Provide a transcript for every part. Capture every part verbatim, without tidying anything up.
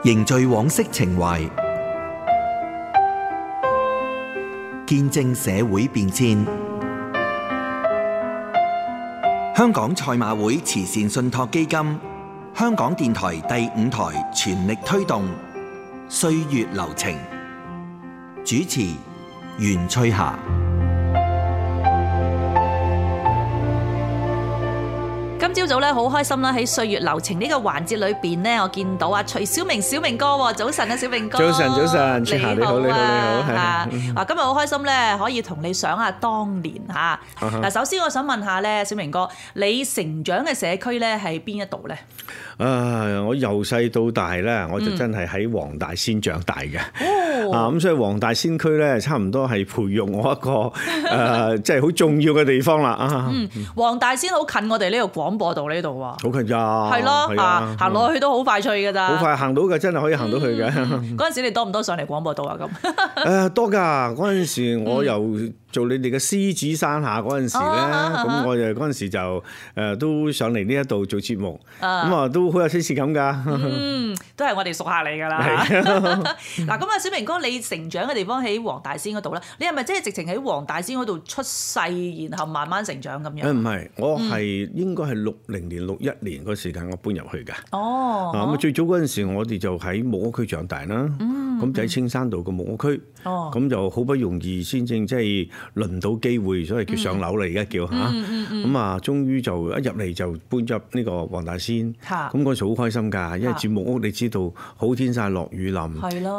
凝聚往昔情懷，見證社會變遷。香港賽馬會慈善信託基金、香港電台第五台全力推動歲月流情。主持袁翠霞。今朝早咧好開心啦！喺歲月流情呢個環節裏邊呢，我見到啊徐小明小明哥喎，早晨啊小明哥，早晨早晨，翠霞你好你好你好，啊！嗱今日好開心咧，可以同你想下當年嚇。嗱，首先我想問下咧，小明哥，你成長嘅社區咧係邊一度咧？啊！我由細到大咧，我就真係喺黃大仙長大嘅。哦、啊咁，所以黃大仙區咧，差唔多係培育我一個誒，即係好重要嘅地方啦。啊，嗯，黃大仙好近我哋呢個廣播道呢度喎。好近咋？係咯，啊，行落去都好快脆㗎咋。好快行到嘅，真係可以行到去嘅。嗰陣時你多唔多上嚟廣播道啊？咁誒多㗎，嗰陣時我由做你哋嘅獅子山下嗰陣時咧，咁我就嗰陣時就誒都上嚟呢一度做節目，咁啊都好有親切感㗎。嗯，都係我哋熟客嚟㗎啦。嗱，咁啊，小明哥，你成長嘅地方喺黃大仙嗰度咧，你係咪即係直情喺黃大仙嗰度出世，然後慢慢成長咁樣？誒唔係，我係應該係六零年、六一年嗰時間我搬入去㗎。哦，啊咁啊，最早嗰陣時我哋就喺木屋區長大啦。嗯，咁就喺青山道個木屋區。哦，咁就好不容易先正即係輪到機會，所謂叫上樓啦，而家叫嚇。咁啊，終於就一入嚟就搬入呢個黃大仙。咁嗰時好開心㗎，因為住木屋你知道好天曬落雨淋，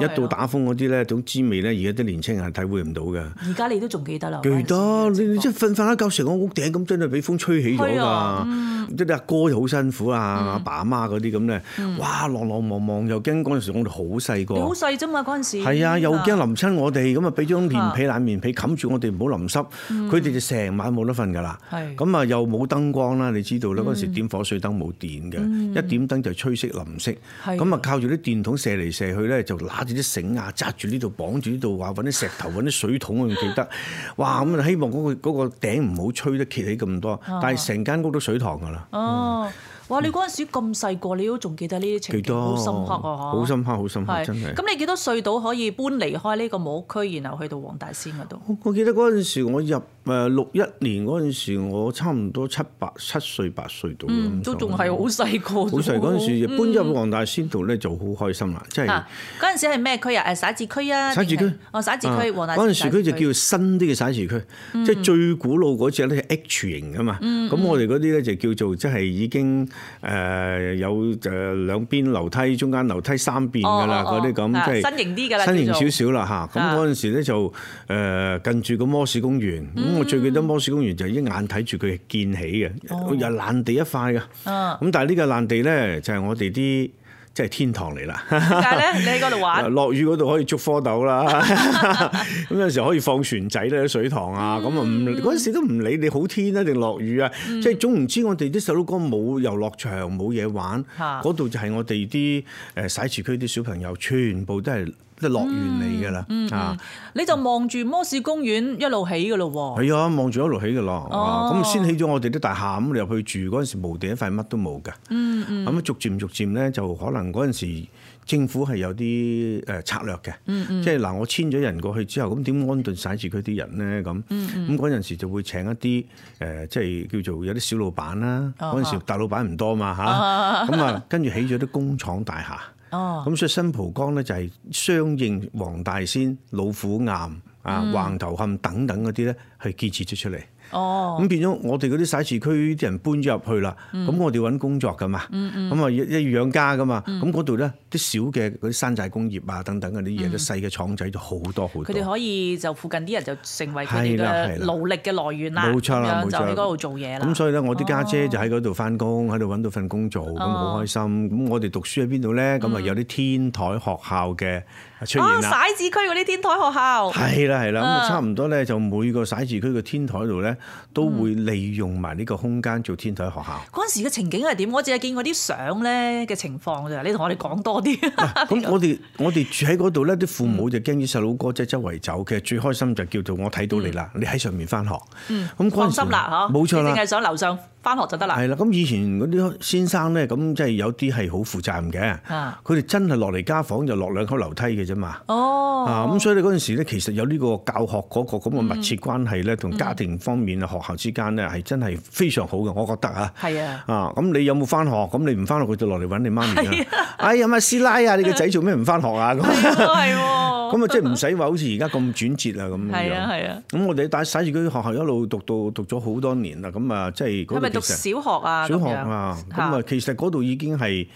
一到打風嗰啲咧，種滋味咧，而家啲年青人係體會唔到嘅。而家你都仲記得啦？記得，你你即係瞓瞓一覺成個屋頂咁，真係俾風吹起咗㗎。即係阿哥又好辛苦啊，阿爸阿媽嗰啲咁咧，哇，浪浪茫茫又驚嗰陣時我哋好細個。你好細啫嘛嗰陣時。係啊，又驚淋親我哋，咁啊俾張棉被爛棉被冚住我哋唔好淋濕，佢哋就成晚冇得瞓㗎啦。咁啊又冇燈光啦，你知道啦，嗰陣時點火水燈冇電嘅，一點燈就吹熄淋熄。咁啊靠住啲電筒射嚟射去咧，就揦住啲繩啊，紮住呢度綁住呢度，話揾啲石頭揾啲水桶，我仲記得。哇！咁啊希望嗰個嗰個頂唔好吹得揭起咁多，但係成間屋都水塘㗎啦。哦。哇！你嗰陣時咁細個，你都仲記得呢啲情景，好深刻啊！好深刻，好深刻，真係。咁你幾多歲到可以搬離開呢個木屋區，然後去到黃大仙嗰度？我記得嗰陣時，我入誒六一年嗰陣時，我差唔多七八七歲八歲到。嗯，都仲係好細個。好細嗰陣時，搬入黃大仙度咧就好開心啦，即係。嗰陣時係咩區啊？誒徙置區啊？徙置區。哦，徙置區，黃大仙。嗰陣時區就叫新啲嘅徙置區，即係最古老嗰隻咧係 H 型㗎嘛。咁我哋嗰啲咧就叫做即係已經誒。誒有誒兩邊樓梯，中間樓梯三邊㗎啦，嗰啲咁即係新型啲㗎啦，新型少少啦嚇。咁嗰陣時咧就誒近住個摩士公園，咁、嗯、我最記得摩士公園就一眼睇住佢建起嘅，哦、又爛地一塊㗎。咁、哦、但係呢個爛地咧就係我哋啲。即係天堂嚟啦！點解咧？你喺嗰度玩？落雨嗰度可以捉蝌蚪啦，咁有時可以放船仔咧，水塘啊，咁啊唔嗰陣時都唔理你好天啊定落雨啊，嗯、即係總唔知我哋啲細佬哥冇遊樂場冇嘢玩，嗰度、啊、就係我哋啲誒徙置區啲小朋友全部都係。即係樂園嚟㗎啦，啊！你就望住摩士公園一路起㗎咯喎。係啊，望住一路起㗎咯。哦，咁先起咗我哋啲大廈，咁你入去住嗰陣時無地一塊乜都冇㗎。嗯嗯。咁逐漸逐漸咧，就可能嗰陣時政府係有啲誒策略嘅。嗯嗯。即係嗱，我遷咗人過去之後，咁點安頓徙置區啲人咧？咁咁嗰陣時就會請一啲誒，即係叫做有啲小老闆啦。嗰陣時大老闆唔多嘛嚇。咁啊，跟住起咗啲工廠大廈。哦，咁所以新蒲崗咧就係相應黃大仙、老虎岩啊、嗯、橫頭磡等等嗰啲咧，係建設咗出嚟。哦，咁變咗我哋嗰啲徙置區啲人搬咗入去啦，咁、嗯、我哋揾工作噶嘛，咁啊一一要養家噶嘛，咁嗰度咧啲小嘅嗰啲山寨工業啊等等嗰啲嘢，啲細嘅廠仔就好多好多。佢哋可以就附近啲人就成為佢哋嘅勞力嘅來源啦，冇錯啦，冇錯，就喺嗰度做嘢啦。咁所以咧，我啲家姐就喺嗰度翻工，喺度揾到份工做，咁好、哦、開心。咁我哋讀書喺邊度咧？咁啊有啲天台學校嘅出現啦。徙置區嗰啲天台學校。係啦係啦，咁啊差唔多咧，就每個徙置區嘅天台度咧。都會利用埋呢個空間做天台學校。嗰陣時嘅情景係點？我淨係見過啲相咧嘅情況咋，你同我哋講多多啲。咁我哋我哋住喺嗰度咧，啲父母就驚啲細佬哥即係周圍走，其實最開心就叫做我睇到你啦，你喺上面翻學。嗯，咁放心啦，嗬，冇錯啦，淨係上樓上翻學就得啦。係啦，咁以前嗰啲先生咧，咁即係有啲係好負責任嘅，佢哋真係落嚟家訪就落兩級樓梯嘅啫嘛。哦，啊，咁所以你嗰陣時咧，其實有呢個教學嗰個咁嘅密切關係咧，同家庭方面啊、學校之間咧係真係非常好嘅，我覺得啊。係啊。啊，咁你有冇翻學？咁你唔翻學，佢就落嚟揾你媽咪啦。哎呀，乜師奶啊，你個仔做咩唔翻學啊？咁係喎。咁啊，即係唔使話好似而家咁轉折啊咁樣。係啊係啊。咁我哋喺洗字區學校一路讀到讀咗好多年啦，咁啊，即係嗰度其實係咪讀小學啊？小學啊，咁啊，其實嗰度已經係。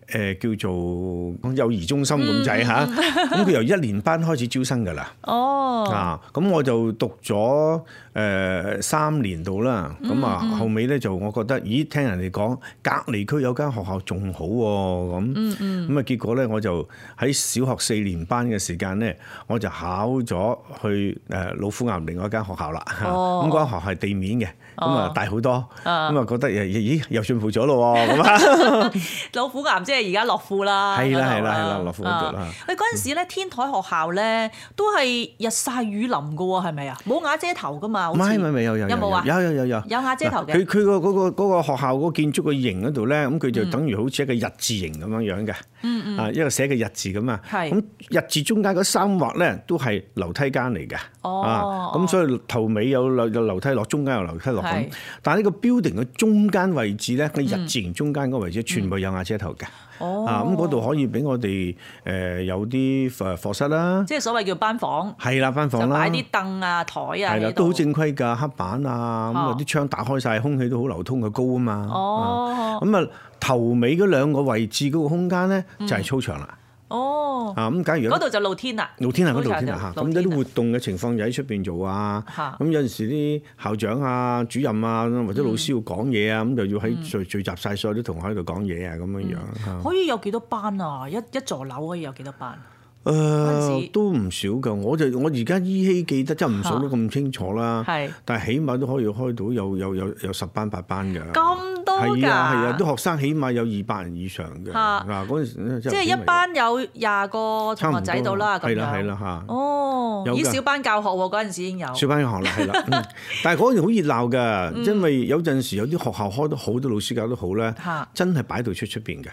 誒叫做幼兒中心咁滯嚇，咁佢由一年班開始招生㗎啦。哦，啊，咁我就讀咗誒三年度啦。咁啊，後尾咧就我覺得，咦，聽人哋講隔離區有間學校仲好喎，咁咁啊，結果咧我就喺小學四年班嘅時間咧，我就考咗去誒老虎岩另外一間學校啦。咁嗰間學校係地面嘅，咁啊大好多，咁啊覺得咦又進步咗咯喎，咁啊老虎岩即係。而家樂富啦，係啦係啦係啦，樂富嗰度啦。喂，嗰陣時咧，天台學校咧都係日曬雨淋嘅喎，係咪啊？冇瓦遮頭噶嘛？唔係唔係有有有冇啊？有有有有有瓦遮頭嘅。佢佢個嗰個嗰個學校嗰個建築嘅形嗰度咧，咁佢就等於好似一個日字形咁樣樣嘅。嗯嗯。啊，一個寫嘅日字咁啊。係。咁日字中間嗰三畫咧都係樓梯間嚟嘅。哦。啊，咁所以頭尾有樓有樓梯落，中間有樓梯落咁。但係呢個 building 嘅中間位置咧，個日字形中間嗰個位置全部有瓦遮頭嘅。哦，啊咁嗰度可以俾我哋誒有啲誒課室啦，即係所謂叫班房，係啦班房啦，就擺啲凳啊台啊，係啦都好正規㗎，黑板啊，咁啊啲窗打開晒，空氣都好流通，佢高啊嘛。哦，咁啊頭尾嗰兩個位置嗰個空間咧就係操場啦。哦，啊咁假如嗰度就露天啦，露天啊，嗰度露天啊嚇，咁有啲活動嘅情況就喺出邊做啊，咁有陣時啲校長啊、主任啊或者老師要講嘢啊，咁就要喺聚聚集晒所有啲同學喺度講嘢啊，咁樣樣。可以有幾多班啊？一一座樓可以有幾多班？誒、呃、都唔少㗎，我就我而家依稀記得，真係唔數得咁清楚啦。係，但係起碼都可以開到有有有有十班八班㗎。咁多㗎？係啊係啊，啲學生起碼有二百人以上嘅。嗱嗰陣時即係一班有廿個同學仔到啦，咁樣。係啦係啦嚇。哦，以小班教學喎，嗰陣時已經有。小班教學啦，係啦。嗯、但係嗰陣好熱鬧㗎，嗯、因為有陣時有啲學校開得好，多老師教得好咧，真係擺到出出邊嘅。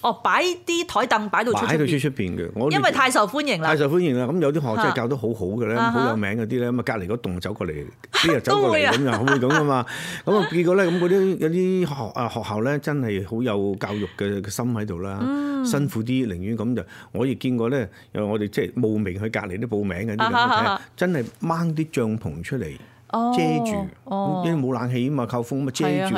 哦，擺啲台凳擺到出擺到出出邊嘅，我因為太受歡迎啦，太受歡迎啦。咁有啲學校真係教得好好嘅咧，好有名嗰啲咧，咁啊隔離嗰棟走過嚟，啲人走過嚟咁又會咁噶嘛。咁啊結果咧，咁嗰啲有啲學啊學校咧，真係好有教育嘅心喺度啦。嗯、辛苦啲，寧願咁就我亦見過咧，有我哋即係慕名去隔離啲報名嘅啲咁，真係掹啲帳篷出嚟。遮住，因為冇冷氣啊嘛，靠風咁啊遮住，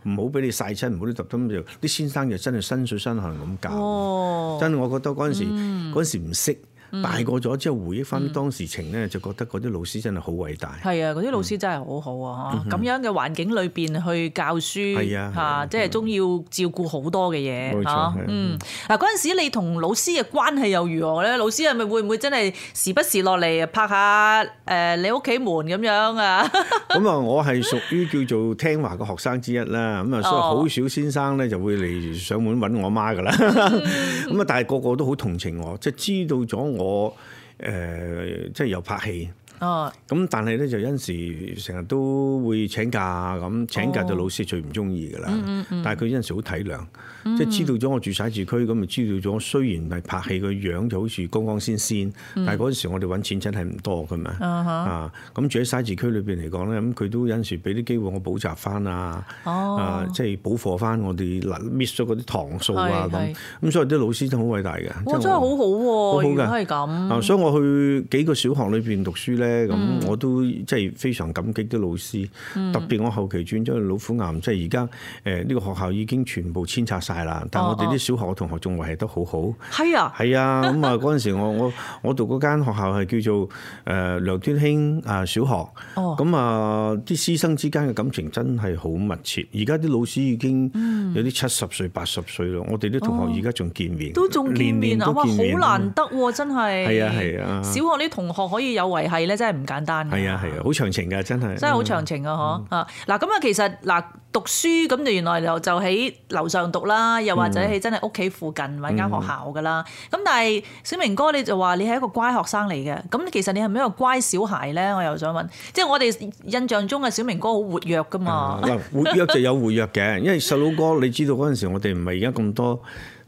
唔唔好俾你曬親，唔好啲特登就啲先生就真係身水身汗咁教，哦、真係我覺得嗰陣時嗰陣、嗯、時唔識。大個咗之後回憶翻當時情咧，就覺得嗰啲老師真係好偉大。係啊，嗰啲老師真係好好啊！咁樣嘅環境裏邊去教書，嚇，即係都要照顧好多嘅嘢嚇。嗯，嗱嗰陣時你同老師嘅關係又如何咧？老師係咪會唔會真係時不時落嚟拍下誒你屋企門咁樣啊？咁啊，我係屬於叫做聽話嘅學生之一啦。咁啊，所以好少先生咧就會嚟上門揾我媽噶啦。咁啊，但係個個都好同情我，即係知道咗。我誒、呃、即係有拍戲，咁、哦、但係咧就有陣時成日都會請假咁，請假就老師最唔中意㗎啦。哦嗯嗯、但係佢有陣時好體諒，嗯、即係知道咗我住徙置區，咁咪知道咗。雖然係拍戲個樣就好似光光鮮鮮，嗯、但係嗰陣時我哋揾錢真係唔多㗎嘛。嗯、啊，咁住喺徙置區裏邊嚟講咧，咁佢都有陣時俾啲機會我補習翻啊，哦、啊，即係補課翻我哋嗱 miss 咗嗰啲堂數啊咁。咁所以啲老師都好偉大嘅。我真係好好喎，好好嘅，係咁。啊，所以我去幾個小學裏邊讀書咧。咁、嗯、我都即係非常感激啲老師，嗯、特別我後期轉咗去老虎岩，即係而家誒呢個學校已經全部遷拆晒啦。但係我哋啲小學嘅同學仲維繫得好好。係啊，係啊。咁啊嗰陣時我我我讀嗰間學校係叫做誒梁端興啊小學。哦。咁啊啲師生之間嘅感情真係好密切。而家啲老師已經有啲七十歲八十歲咯。我哋啲同學而家仲見面，都仲見面啊！哇，好難得喎，真係。係啊係啊。小學啲同學可以有維繫咧。真係唔簡單㗎。係啊係啊，好長情㗎，真係真係好長情啊！嗬啊嗱，咁啊其實嗱讀書咁就原來就就喺樓上讀啦，又或者喺真係屋企附近揾間學校㗎啦。咁、嗯、但係小明哥你就話你係一個乖學生嚟嘅，咁其實你係咪一個乖小孩咧？我又想問，即係我哋印象中嘅小明哥好活躍㗎嘛？嗱、嗯，活躍就有活躍嘅，因為細佬哥你知道嗰陣時我哋唔係而家咁多。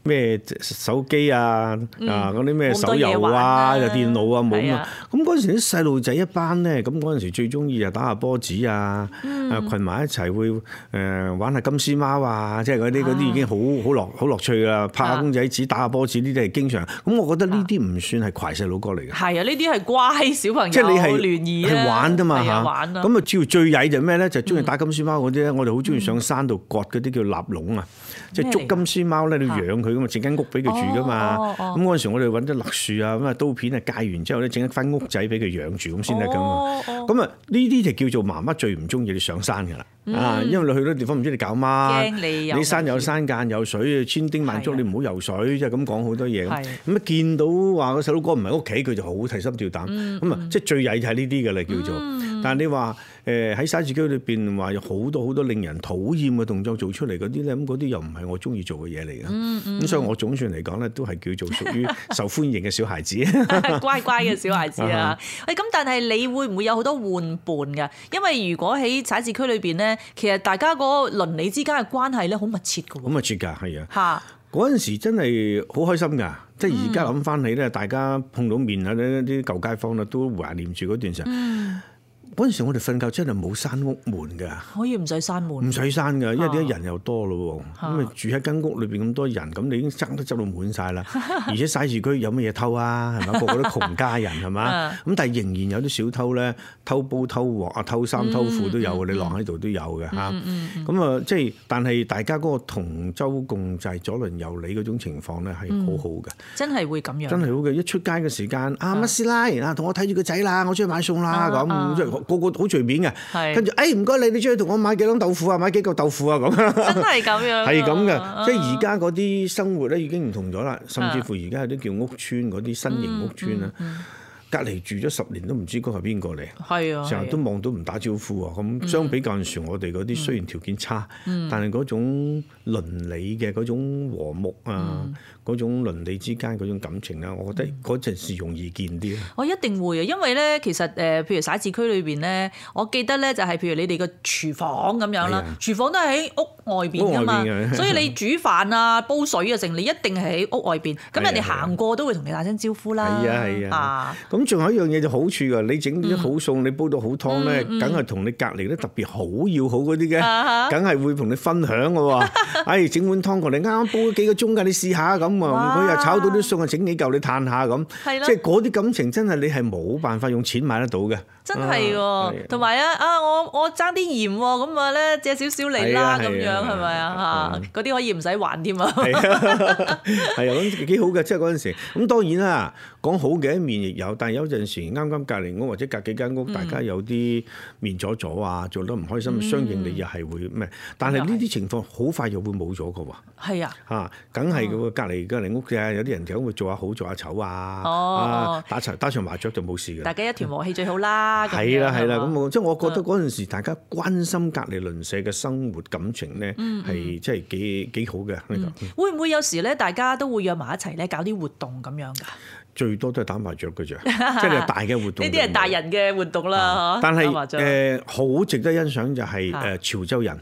咩手機啊，嗯、啊嗰啲咩手遊啊，又電腦啊冇啊，咁嗰陣時啲細路仔一班咧，咁嗰陣時最中意就打下波子啊，嗯、啊羣埋一齊會誒、呃、玩下金絲貓啊，即係嗰啲嗰啲已經好好樂好樂趣啦，拍下公仔紙、打下波子呢啲係經常。咁我覺得呢啲唔算係攜細佬哥嚟嘅。係啊，呢啲係乖小朋友，即係你係聯誼係玩㗎嘛嚇。咁啊，主要最曳就咩咧？就中意打金絲貓嗰啲咧。我哋好中意上山度割嗰啲叫臘籠啊，即係捉金絲貓咧，你要養佢㗎嘛，整間屋俾佢住噶嘛，咁嗰陣時我哋揾啲栗樹啊，咁啊刀片啊戒完之後咧，整一間屋仔俾佢養住咁先得噶嘛。咁啊呢啲就叫做媽媽最唔中意你上山噶啦，啊、嗯，因為你去到地方唔知你搞乜，你，你山有山間有水，千叮萬囑你唔好游水，即係咁講好多嘢。咁咁啊見到話個細佬哥唔喺屋企，佢就好提心吊膽。咁啊、嗯、即係最曳就係呢啲嘅啦，叫做。嗯、但係你話誒喺徙置區裏邊話有好多好多令人討厭嘅動作做出嚟嗰啲咧，咁嗰啲又唔係我中意做嘅嘢嚟嘅。咁、嗯嗯、所以我總算嚟講咧，都係叫做屬於受歡迎嘅小孩子，乖乖嘅小孩子啊！誒咁，但係你會唔會有好多玩伴㗎？因為如果喺徙置區裏邊咧，其實大家嗰個鄰里之間嘅關係咧，好密切㗎喎。好密切㗎，係啊！嚇嗰陣時真係好開心㗎，即係而家諗翻起咧，大家碰到面啊，呢啲舊街坊啦，都懷念住嗰段時候。嗯嗰陣時我哋瞓覺真係冇閂屋門㗎，可以唔使閂門，唔使閂㗎，因為啲人又多咯喎，咁啊住喺間屋裏邊咁多人，咁你已經爭得執到滿晒啦，而且徙置區有乜嘢偷啊？係咪？個個都窮家人係嘛？咁但係仍然有啲小偷咧，偷煲偷鑊啊，偷衫偷褲都有，嗯、你晾喺度都有嘅嚇。咁啊、嗯嗯，即係但係大家嗰個同舟共濟、左鄰右里嗰種情況咧係好好嘅，真係會咁樣，真係好嘅。一出街嘅時間，啊乜師奶啊，同我睇住個仔啦，我出去買餸啦咁，即係。個個好隨便嘅，跟住誒唔該你，你出去同我買幾籠豆腐啊，買幾嚿豆腐啊咁。真係咁樣，係咁嘅，即係而家嗰啲生活咧已經唔同咗啦，甚至乎而家有啲叫屋邨嗰啲新型屋邨啊，嗯嗯嗯、隔離住咗十年都唔知嗰係邊個嚟，係啊，成日都望到唔打招呼啊，咁相比較陣時我哋嗰啲雖然條件差，嗯、但係嗰種鄰里嘅嗰種和睦啊。嗯嗰種鄰里之間嗰種感情咧，我覺得嗰陣時容易見啲。我一定會啊，因為咧，其實誒，譬如徙置區裏邊咧，我記得咧就係譬如你哋個廚房咁樣啦，的廚房都係喺屋外邊噶嘛，所以你煮飯啊、煲水啊，成你一定係喺屋外邊。咁人哋行過都會同你打聲招呼啦。係啊係啊。咁仲有一樣嘢就好處㗎，你整啲好餸，你煲到好湯咧，梗係同你隔離咧特別好要好嗰啲嘅，梗係會同你分享㗎喎。哎，整碗湯過嚟，啱啱煲咗幾個鐘㗎，你試下咁。佢又炒到啲餸啊，整幾嚿你嘆下咁，即係嗰啲感情真係你係冇辦法用錢買得到嘅。真係喎，同埋啊啊，我我爭啲鹽喎，咁啊咧借少少嚟啦，咁樣係咪啊？嚇，嗰啲可以唔使還添啊。係啊，係啊，咁幾好嘅，即係嗰陣時。咁當然啦，講好嘅一面亦有，但係有陣時啱啱隔離屋或者隔幾間屋，大家有啲面阻阻啊，做得唔開心，相應你又係會咩？但係呢啲情況好快又會冇咗嘅喎。係啊，嚇，梗係嗰個隔離隔離屋嘅，有啲人就會做下好做下醜啊，啊打場打場麻雀就冇事嘅。大家一團和氣最好啦。係啦係啦，咁我即係我覺得嗰陣時大家關心隔離鄰舍嘅生活感情咧，係即係幾幾好嘅。會唔會有時咧，大家都會約埋一齊咧，搞啲活動咁樣㗎？最多都係打麻雀嘅啫，即係大嘅活動。呢啲係大人嘅活動啦，但係誒好值得欣賞就係誒潮州人。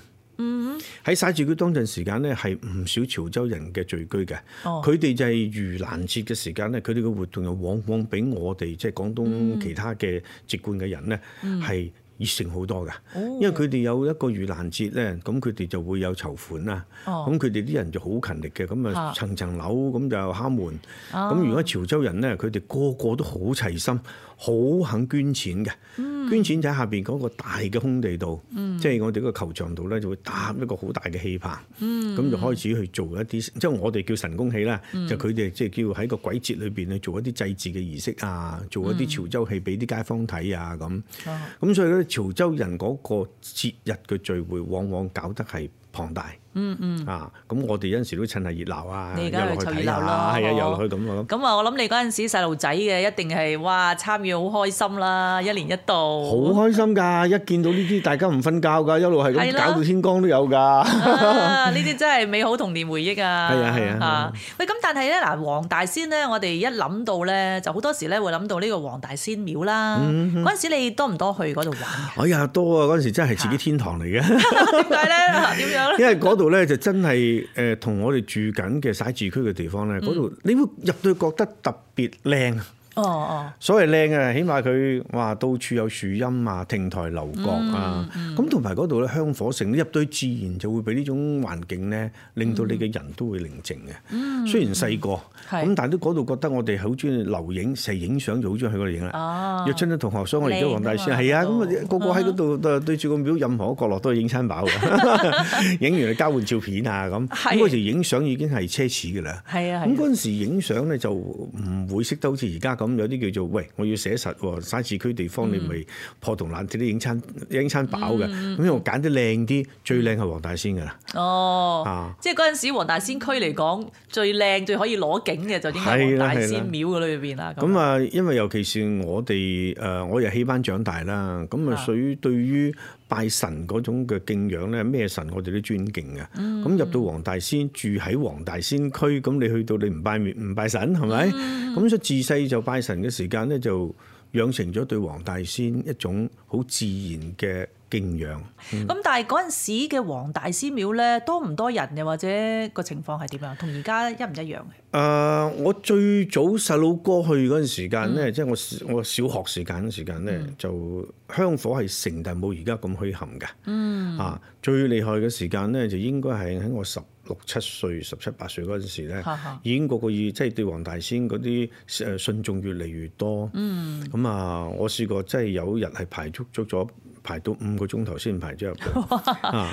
喺徙置區當陣時間咧，係唔少潮州人嘅聚居嘅。佢哋、哦、就係盂蘭節嘅時間咧，佢哋嘅活動又往往比我哋即係廣東其他嘅籍貫嘅人咧係、嗯、熱誠好多㗎。哦、因為佢哋有一個盂蘭節咧，咁佢哋就會有籌款啦。咁佢哋啲人就好勤力嘅，咁啊層層樓咁就敲門。咁、哦、如果潮州人咧，佢哋個個都好齊心。好肯捐錢嘅，嗯、捐錢就喺下邊嗰個大嘅空地度，嗯、即係我哋嗰個球場度咧，就會搭一個好大嘅戲棚，咁、嗯、就開始去做一啲，即係我哋叫神功戲啦，嗯、就佢哋即係叫喺個鬼節裏邊去做一啲祭祀嘅儀式啊，做一啲潮州戲俾啲街坊睇啊咁。咁、嗯、所以咧，潮州人嗰個節日嘅聚會往往搞得係龐大。嗯嗯。啊，咁我哋有陣時都趁下熱鬧啊，你而家去湊熱鬧啦，係啊，遊落去咁啊咁。咁啊，我諗你嗰陣時細路仔嘅一定係哇參與好開心啦，一年一度。好開心㗎！一見到呢啲大家唔瞓覺㗎，一路係咁搞到天光都有㗎。呢啲真係美好童年回憶啊！係啊係啊。嚇！喂，咁但係咧嗱，黃大仙咧，我哋一諗到咧，就好多時咧會諗到呢個黃大仙廟啦。嗰陣時你多唔多去嗰度玩嘅？哎呀，多啊！嗰陣時真係自己天堂嚟嘅。點解咧？點樣咧？因為嗰度咧就真係誒同我哋住緊嘅徙置區嘅地方咧，嗰度、嗯、你會入到去覺得特別靚。哦哦，所謂靚啊，起碼佢哇到處有樹蔭啊、亭台樓閣啊，咁同埋嗰度咧香火盛，你入到去自然就會俾呢種環境咧，令到你嘅人都會寧靜嘅。嗯、雖然細個，咁、嗯、但係都嗰度覺得我哋好中意留影，成日影相就好中意去嗰度影啦。約親啲同學，所以我而家黃大仙係啊，咁啊個個喺嗰度對住個廟，任何一個角落都係影餐飽嘅，影完嚟交換照片啊咁。咁嗰時影相已經係奢侈㗎啦。係啊，咁嗰陣時影相咧就唔會識得好似而家。咁有啲叫做喂，我要寫實喎，徙置區地方你咪破銅爛鐵都影餐影餐飽嘅，咁、嗯、我揀啲靚啲，最靚係黃大仙㗎啦。哦，啊、即係嗰陣時黃大仙區嚟講，最靚最可以攞景嘅就應該黃大仙廟嗰裏邊啦。咁啊，因為尤其是我哋誒，我又戲班長大啦，咁啊屬於對於拜神嗰種嘅敬仰咧，咩神我哋都尊敬嘅。咁、嗯、入到黃大仙，住喺黃大仙區，咁你去到你唔拜面唔拜神係咪？咁所以自細就拜神嘅時間咧，就養成咗對黃大仙一種好自然嘅敬仰。咁、嗯、但係嗰陣時嘅黃大仙廟咧，多唔多人又或者個情況係點樣？同而家一唔一樣嘅？誒、呃，我最早細佬哥去嗰陣時間咧，即係、嗯、我我小學時間嘅時間咧，嗯、就香火係盛，但冇而家咁墟冚嘅。嗯。啊，最厲害嘅時間咧，就應該係喺我十六七歲、十七八歲嗰陣時咧，已經個個以即係對黃大仙嗰啲誒信眾越嚟越多。嗯。咁啊，我試過即係有日係排足足咗。排到五個鐘頭先排咗入去，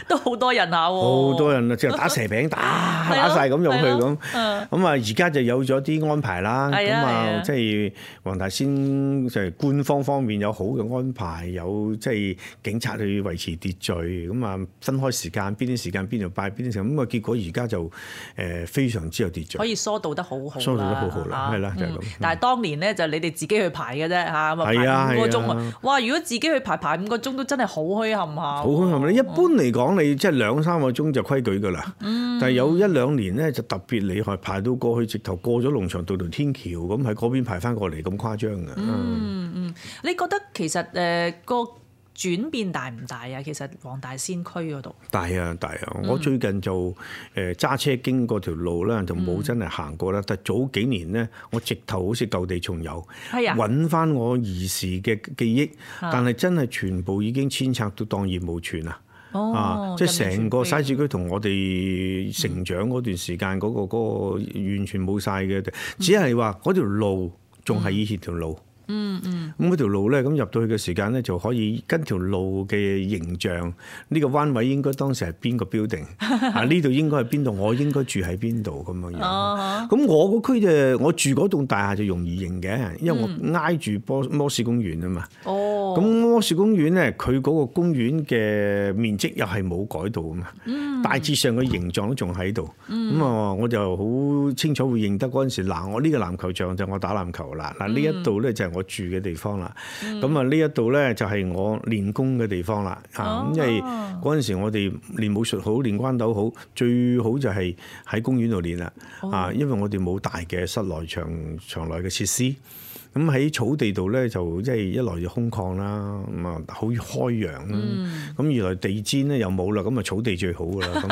都好多人下喎。好多人啊，即係打蛇餅打打曬咁入去咁。咁啊，而家就有咗啲安排啦。咁啊，即係黃大仙就係官方方面有好嘅安排，有即係警察去維持秩序。咁啊，分開時間，邊啲時間邊度拜，邊啲時間。咁啊，結果而家就誒非常之有秩序，可以疏導得好好。疏導得好好啦，係啦，就係咁。但係當年咧就你哋自己去排嘅啫嚇，咁啊排五個鐘啊。哇！如果自己去排排五個鐘。都真係好墟冚下，好墟冚。你一般嚟講，你即係兩三個鐘就規矩㗎啦。嗯、但係有一兩年咧，就特別厲害，排到過去直頭過咗龍翔道條天橋咁，喺嗰邊排翻過嚟咁誇張㗎。嗯嗯，你覺得其實誒、呃、個轉變大唔大啊？其實黃大仙區嗰度大啊大啊！嗯、我最近就誒揸、呃、車經過條路咧，就冇真係行過啦。嗯、但係早幾年咧，我直頭好似舊地重遊，揾翻我兒時嘅記憶，啊、但係真係全部已經遷拆到蕩然無存啊！哦、啊，即係成個徙置區同我哋成長嗰段時間嗰、嗰個嗰個完全冇晒嘅，嗯、只係話嗰條路仲係以前條路。嗯嗯，咁嗰條路咧，咁入到去嘅時間咧，就可以跟條路嘅形象，呢、這個彎位應該當時係邊個 building 啊？呢度應該係邊度？我應該住喺邊度咁樣樣。咁、哦、我個區就我住嗰棟大廈就容易認嘅，因為我挨住波摩士公園啊嘛。哦，咁摩士公園咧，佢嗰個公園嘅面積又係冇改到啊嘛。嗯、大致上嘅形狀都仲喺度。咁啊、嗯，我就好清楚會認得嗰陣時，嗱，我呢個籃球場就我打籃球啦。嗱，呢一度咧就係我住嘅地方啦，咁啊呢一度咧就係我練功嘅地方啦，啊，因為嗰陣時我哋練武術好，練關斗好，最好就係喺公園度練啦，啊，因為我哋冇大嘅室內場場內嘅設施。咁喺草地度咧，就即係一來就空曠啦，咁啊好開揚啦。咁、嗯、二來地氈咧又冇啦，咁啊草地最好噶啦。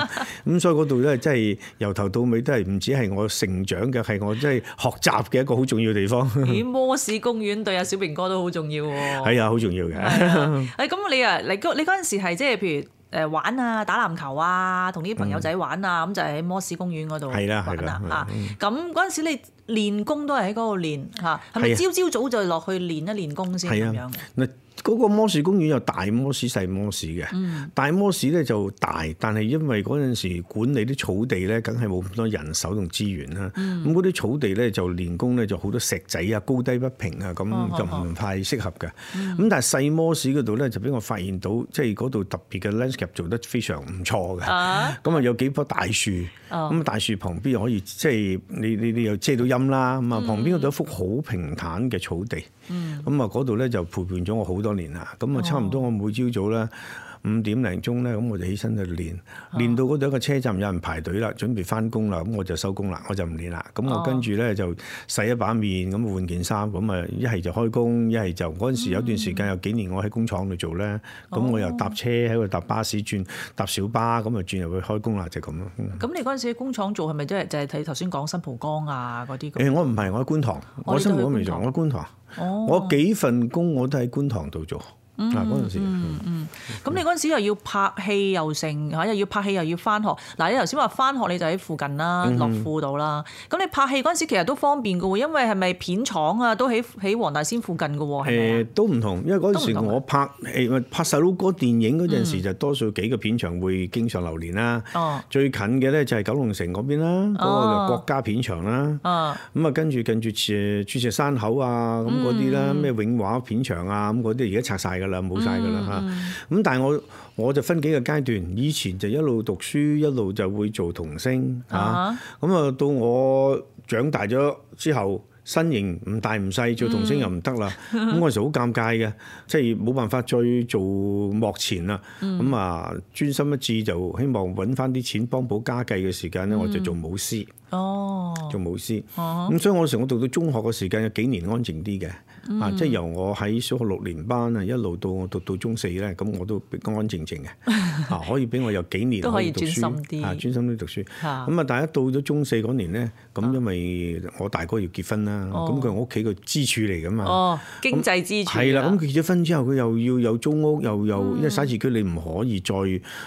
咁咁所以嗰度咧，即係由頭到尾都係唔止係我成長嘅，係我即係學習嘅一個好重要嘅地方。咦，摩士公園對阿小明哥都好重要喎。係啊，好重要嘅。誒咁你啊，你嗰你嗰陣時係即係譬如。誒玩啊，打籃球啊，同啲朋友仔玩啊，咁、嗯、就喺摩士公園嗰度玩啦啊！咁嗰陣時你練功都係喺嗰度練嚇，係咪朝朝早就落去練一練功先咁樣嘅？嗱，嗰個摩士公園有大摩士、細摩士嘅。嗯、大摩士咧就大，但係因為嗰陣時管理啲草地咧，梗係冇咁多人手同資源啦。咁嗰啲草地咧就練功咧就好多石仔啊，高低不平啊，咁就唔太適合嘅。咁、嗯、但係細摩士嗰度咧就俾我發現到，即係嗰度特別嘅 landscape 做得非常唔錯嘅。咁啊有幾棵大樹，咁、哦、大樹旁邊又可以即係你你你又遮到陰啦。咁啊旁邊嗰度有一幅好平坦嘅草地。咁啊嗰度咧就陪伴咗我好多年啦。咁啊差唔多我每朝早咧五點零鐘咧，咁我就起身去練，練到嗰度一個車站有人排隊啦，準備翻工啦，咁我就收工啦，我就唔練啦。咁我跟住咧就洗一把面，咁換件衫，咁啊一係就開工，一係就嗰陣時有段時間有幾年我喺工廠度做咧，咁、嗯、我又搭車喺度搭巴士轉搭小巴，咁啊轉入去開工啦，就咁、是、咯。咁、嗯、你嗰陣時喺工廠做係咪即係就係睇頭先講新蒲崗啊嗰啲？誒、欸、我唔係，我喺觀塘，我，我新蒲崗未做，我喺觀塘。哦、我幾份工我都喺觀塘度做。嗱嗰陣時，嗯嗯，咁你嗰陣時又要拍戲又成嚇，又要拍戲又要翻學。嗱你頭先話翻學你就喺附近啦，樂富度啦。咁你拍戲嗰陣時其實都方便嘅喎，因為係咪片廠啊都喺喺黃大仙附近嘅喎？誒都唔同，因為嗰陣時我拍誒拍細佬哥電影嗰陣時就多數幾個片場會經常流連啦。哦，最近嘅咧就係九龍城嗰邊啦，嗰、哦、個就國家片場啦。哦，咁啊跟住跟住誒鑽石山口啊咁嗰啲啦，咩永華片場啊咁嗰啲而家拆晒㗎啦，冇晒㗎啦嚇。咁、嗯、但係我我就分幾個階段，以前就一路讀書一路就會做童星嚇。咁啊、uh-huh. 到我長大咗之後，身形唔大唔細，做童星又唔得啦。咁嗰陣時好尷尬嘅，即係冇辦法再做幕前啦。咁啊專心一致就希望揾翻啲錢幫補家計嘅時間咧，我就做武師。哦，做武師。哦，咁所以我嗰時我讀到中學嘅時間有幾年安靜啲嘅。嗯、啊！即係由我喺小學六年班啊，一路到我讀到中四咧，咁我都安安靜靜嘅。啊，可以俾我有幾年可以讀書，都可以專心啲，啊，專心啲讀書。咁啊，但係一到咗中四嗰年咧，咁因為我大哥要結婚啦，咁佢係我屋企個支柱嚟㗎嘛。哦，經濟支柱。係啦，咁結咗婚之後，佢又要有租屋，又又、嗯、因為徙置區你唔可以再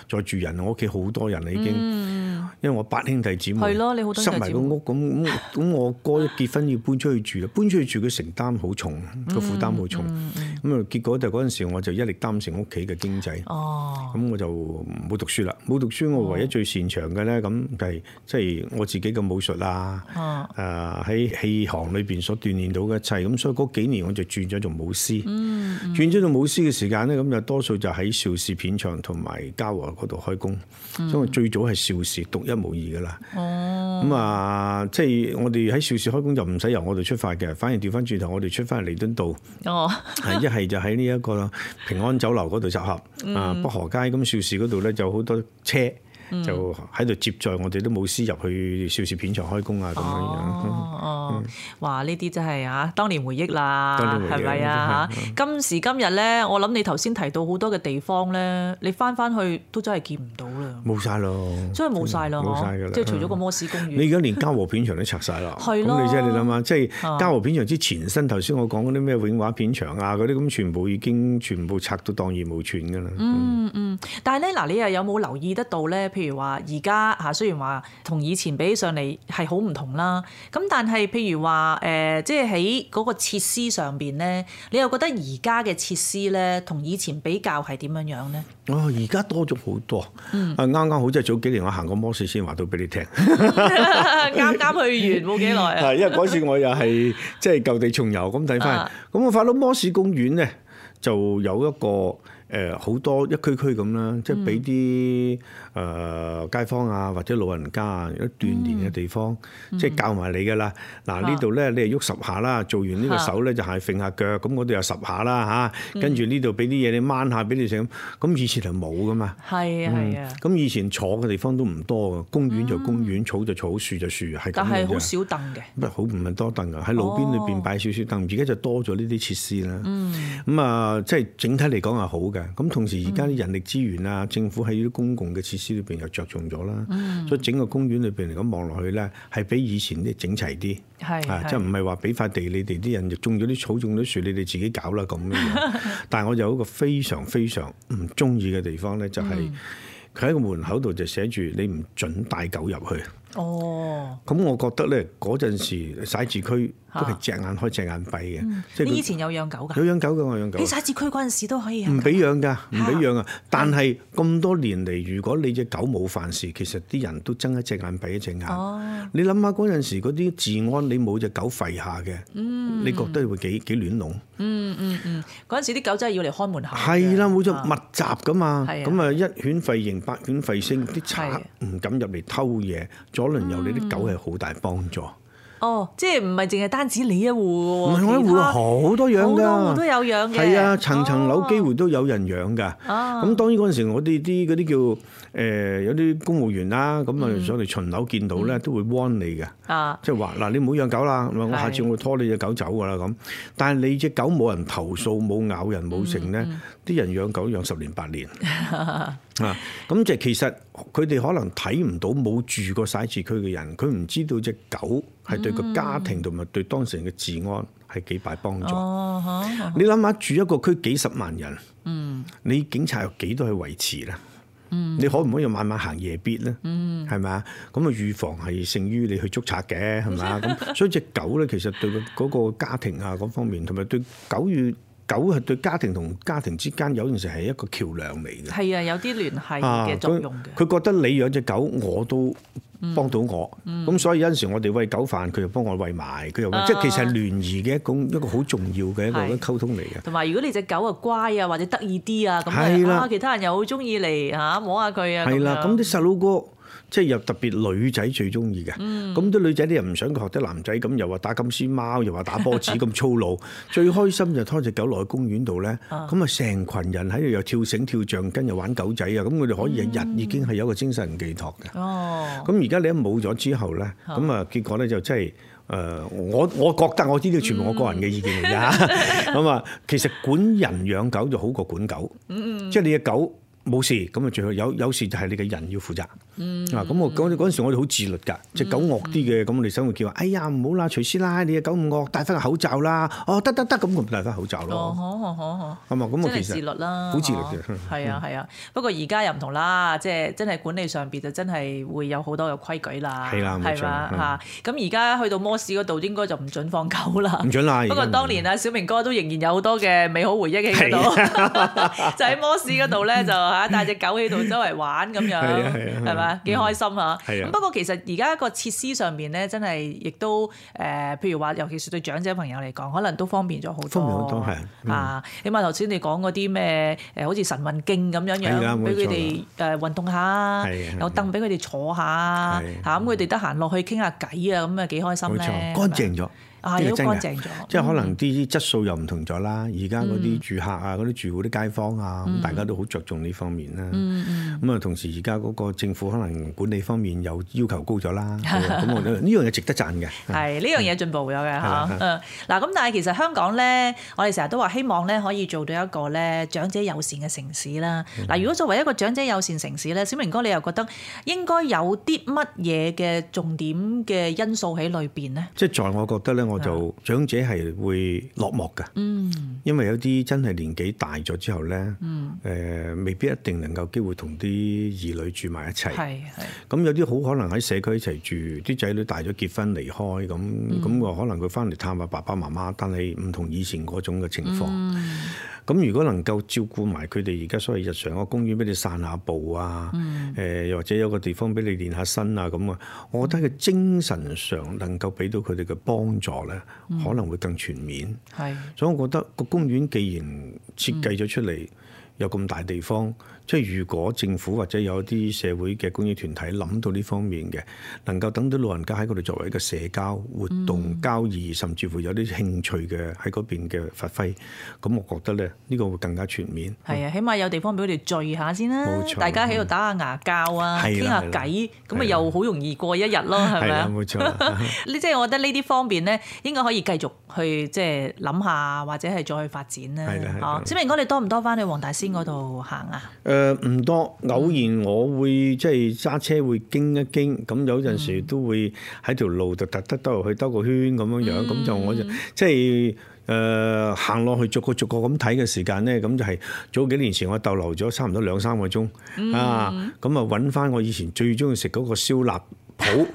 再住人，我屋企好多人啦已經。嗯、因為我八兄弟姊妹，係咯，你好多兄弟姊妹，塞埋個屋，咁咁咁我哥一結婚要搬出去住啦，搬出去住佢承擔好重。個負擔好重，咁、嗯、啊、嗯、結果就嗰陣時我就一力擔承屋企嘅經濟，咁、哦、我就冇讀書啦。冇讀書，我唯一最擅長嘅咧，咁就係即係我自己嘅武術啊，誒、哦、喺、呃、戲行裏邊所鍛鍊到嘅一切。咁所以嗰幾年我就轉咗做武師，嗯嗯、轉咗做武師嘅時間咧，咁就多數就喺邵氏片場同埋嘉禾嗰度開工。嗯、所以我最早係邵氏獨一無二噶啦。咁啊、哦，即係、呃就是、我哋喺邵氏開工就唔使由我哋出發嘅，反而調翻轉頭我哋出翻嚟彌敦道。哦，係一係就喺呢一個平安酒樓嗰度集合，嗯、啊北河街咁邵氏嗰度咧就好多車。就喺度接載我哋都冇師入去邵氏片場開工啊咁樣樣。哦哦，哇！呢啲真係啊，當年回憶啦，係咪啊？今時今日咧，我諗你頭先提到好多嘅地方咧，你翻翻去都真係見唔到啦。冇晒咯，真係冇晒咯，冇晒㗎啦。即係除咗個摩士公園，你而家連嘉禾片場都拆晒啦。係咯。咁你即係你諗下，即係嘉禾片場之前身，頭先我講嗰啲咩永華片場啊嗰啲，咁全部已經全部拆到蕩然無存㗎啦。嗯嗯，但係咧嗱，你又有冇留意得到咧？譬如話而家嚇，雖然話同以前比起上嚟係好唔同啦，咁但係譬如話誒，即係喺嗰個設施上邊咧，你又覺得而家嘅設施咧，同以前比較係點樣樣咧？哦，而家多咗好多，嗯、啊啱啱好即係早幾年我行過摩士先話到俾你聽，啱啱去完冇幾耐啊！係因為嗰次我又係即係舊地重遊咁睇翻，咁我發到摩士公園咧就有一個。誒好多一區區咁啦，即係俾啲誒街坊啊或者老人家啊有鍛鍊嘅地方，嗯、即係教埋你㗎啦。嗱、嗯、呢度咧你係喐十下啦，做完呢個手咧就係揈下腳，咁嗰度又十下啦嚇。跟住呢度俾啲嘢你掹下俾你食咁。咁以前係冇㗎嘛。係啊係啊。咁、嗯、以前坐嘅地方都唔多㗎，公園就公園，嗯、草就草，樹就樹，係咁樣。但係好少凳嘅。唔係好唔係多凳㗎，喺路邊裏邊擺少少凳，而家就多咗呢啲設施啦。嗯。咁啊，即係整體嚟講係好嘅。咁同時而家啲人力資源啊，政府喺啲公共嘅設施裏邊又着重咗啦，嗯、所以整個公園裏邊嚟講望落去咧，係比以前啲整齊啲，係啊，即係唔係話俾塊地你哋啲人就種咗啲草種咗樹，你哋自己搞啦咁樣。但係我有一個非常非常唔中意嘅地方咧，就係佢喺個門口度就寫住你唔準帶狗入去。哦，咁我覺得咧嗰陣時徙置區都係隻眼開隻眼閉嘅。嗯、即係你以前有養狗㗎？有養狗嘅，我養狗。喺徙置區嗰陣時都可以養。唔俾養㗎，唔俾養啊！但係咁多年嚟，如果你隻狗冇犯事，其實啲人都睜一隻眼閉一隻眼。哦、你諗下嗰陣時嗰啲治安，你冇隻狗吠下嘅，嗯、你覺得會幾幾亂籠？嗯嗯嗯，嗰陣時啲狗真係要嚟開門口。係啦，冇錯，密集㗎嘛。咁啊，啊一犬吠迎，百犬吠聲，啲賊唔敢入嚟偷嘢，左鄰右里啲狗係好大幫助。哦，即係唔係淨係單止你一戶喎？唔係我一戶好多養㗎，好多戶都有養嘅。係啊，層層樓機會都有人養㗎。哦，咁當然嗰陣時我哋啲嗰啲叫誒、呃、有啲公務員啦，咁啊上嚟巡樓見到咧，嗯、都會 warn 你嘅。啊，即係話嗱，你唔好養狗啦，我下次我會拖你隻狗走㗎啦咁。但係你隻狗冇人投訴，冇咬人，冇成咧，啲、嗯嗯、人養狗養十年八年。啊，咁即係其實佢哋可能睇唔到冇住過徙置區嘅人，佢唔知道隻狗係對個家庭同埋對當事人嘅治安係幾大幫助。哦哦、你諗下住一個區幾十萬人，嗯、你警察有幾多去維持咧？嗯、你可唔可以晚晚行夜必咧？係咪啊？咁啊預防係勝於你去捉賊嘅，係咪啊？咁所以隻狗咧，其實對嗰個家庭啊嗰方面，同埋對狗與狗係對家庭同家庭之間有陣時係一個橋梁嚟嘅。係啊，有啲聯繫嘅作用嘅。佢、啊、覺得你養隻狗，我都幫到我。咁、嗯嗯、所以有陣時我哋餵狗飯，佢又幫我餵埋，佢又、啊、即係其實係聯誼嘅一種一個好重要嘅一個溝通嚟嘅。同埋如果你隻狗啊乖啊或者得意啲啊，咁啊其他人又好中意嚟嚇摸下佢啊。係啦，咁啲細佬哥。即係又特別女仔最中意嘅，咁啲、嗯、女仔你又唔想佢學啲男仔咁，又話打金絲貓，又話打波子咁粗魯。最開心就拖隻狗落去公園度咧，咁啊成群人喺度又跳繩跳橡筋，又玩狗仔啊！咁佢哋可以日日已經係有一個精神寄託嘅。哦、嗯，咁而家你一冇咗之後咧，咁啊結果咧就真係誒，我我覺得我知道全部我個人嘅意見嚟㗎。咁啊、嗯，其實管人養狗就好過管狗，嗯、即係你嘅狗冇事，咁啊最好有有事就係你嘅人要負責。嗯、啊，咁我嗰嗰陣時我哋好自律㗎，隻狗惡啲嘅，咁我哋想會叫話，哎呀唔好啦，徐師奶，你隻狗唔惡，戴翻個口罩啦。哦，得得得，咁我咪戴翻口罩咯。哦，好好好好。咁啊，咁我其實自律啦，好自律嘅。係啊係啊，不過而家又唔同啦，即係真係管理上邊就真係會有好多嘅規矩啦。係啦，冇錯嚇。咁而家去到摩士嗰度應該就唔準放狗啦。唔準啦。不過當年啊，小明哥都仍然有好多嘅美好回憶喺嗰度，就喺摩士嗰度咧就嚇帶隻狗喺度周圍玩咁樣，係咪？幾開心啊！咁不過其實而家個設施上邊咧，真係亦都誒，譬如話，尤其是對長者朋友嚟講，可能都方便咗好多。方便好多係啊！起碼頭先你講嗰啲咩誒，好似晨運徑咁樣樣，俾佢哋誒運動下，有凳俾佢哋坐下嚇，咁佢哋得閒落去傾下偈啊，咁啊幾開心咧！冇錯，乾淨咗。啊！都乾淨咗，即係可能啲質素又唔同咗啦。而家嗰啲住客啊，嗰啲住戶啲街坊啊，咁大家都好着重呢方面啦。咁啊，同時而家嗰個政府可能管理方面又要求高咗啦。咁我覺得呢樣嘢值得讚嘅。係呢樣嘢進步咗嘅嚇。嗯，嗱咁，但係其實香港咧，我哋成日都話希望咧可以做到一個咧長者友善嘅城市啦。嗱，如果作為一個長者友善城市咧，小明哥你又覺得應該有啲乜嘢嘅重點嘅因素喺裏邊咧？即係在我覺得咧。我就長者係會落寞㗎，嗯、因為有啲真係年紀大咗之後咧，誒、嗯呃、未必一定能夠機會同啲兒女住埋一齊。係係。咁有啲好可能喺社區一齊住，啲仔女大咗結婚離開，咁咁個可能佢翻嚟探下爸爸媽媽，但係唔同以前嗰種嘅情況。咁、嗯、如果能夠照顧埋佢哋而家所謂日常個公園俾你散下步啊，誒又、嗯呃、或者有個地方俾你練下身啊咁啊，我覺得佢精神上能夠俾到佢哋嘅幫助。嗯、可能會更全面，係，所以我覺得個公園既然設計咗出嚟，嗯、有咁大地方。即係如果政府或者有啲社會嘅公益團體諗到呢方面嘅，能夠等到老人家喺嗰度作為一個社交活動、嗯、交易，甚至乎有啲興趣嘅喺嗰邊嘅發揮，咁我覺得咧呢、呢個會更加全面。係啊，起碼有地方俾佢哋聚下先啦，冇錯，大家喺度打下牙膠啊，傾下偈，咁咪又好容易過一日咯，係咪啊？冇錯。呢即係我覺得呢啲方面咧，應該可以繼續去即係諗下，或者係再去發展啦。係啦，係啦。小明哥，你多唔多翻去黃大仙嗰度行啊？誒、呃、唔多，偶然我會即係揸車會經一經，咁有陣時都會喺條路度特登兜入去兜個圈咁樣樣，咁、嗯、就我就即係誒行落去逐個逐個咁睇嘅時間咧，咁就係早幾年前我逗留咗差唔多兩三個鐘、嗯、啊，咁啊揾翻我以前最中意食嗰個燒臘譜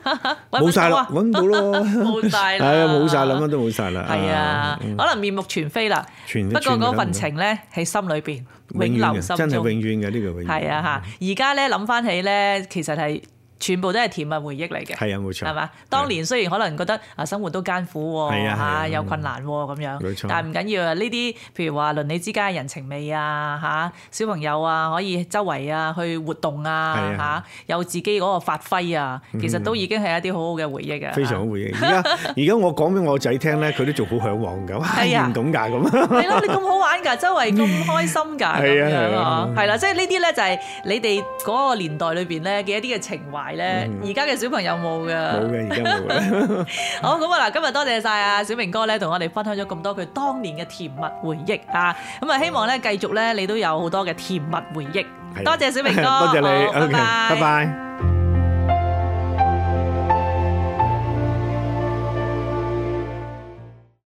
冇晒啦，揾唔到咯，冇晒啦，係啊，冇晒啦，乜都冇晒啦，係啊，可能面目全非啦，不過嗰份情咧喺心裏邊永留心中，真係永遠嘅呢個永遠。係啊嚇，而家咧諗翻起咧，其實係。全部都係甜蜜回憶嚟嘅，係啊，冇錯，係嘛？當年雖然可能覺得啊生活都艱苦喎，嚇有困難喎咁樣，冇錯，但係唔緊要啊！呢啲譬如話鄰里之間嘅人情味啊，嚇小朋友啊可以周圍啊去活動啊，嚇有自己嗰個發揮啊，其實都已經係一啲好好嘅回憶啊！非常好回憶。而家而家我講俾我仔聽咧，佢都仲好嚮往㗎，係啊，唔懂㗎咁。係咯，你咁好玩㗎，周圍咁開心㗎，咁樣啊，係啦，即係呢啲咧就係你哋嗰個年代裏邊咧嘅一啲嘅情懷。而家嘅小朋友冇㗎，冇嘅，而家冇嘅。好，咁啊嗱，今日多謝晒啊小明哥咧，同我哋分享咗咁多佢當年嘅甜蜜回憶啊！咁啊，希望咧繼續咧，你都有好多嘅甜蜜回憶。多謝小明哥，多謝你，好，拜拜。拜拜。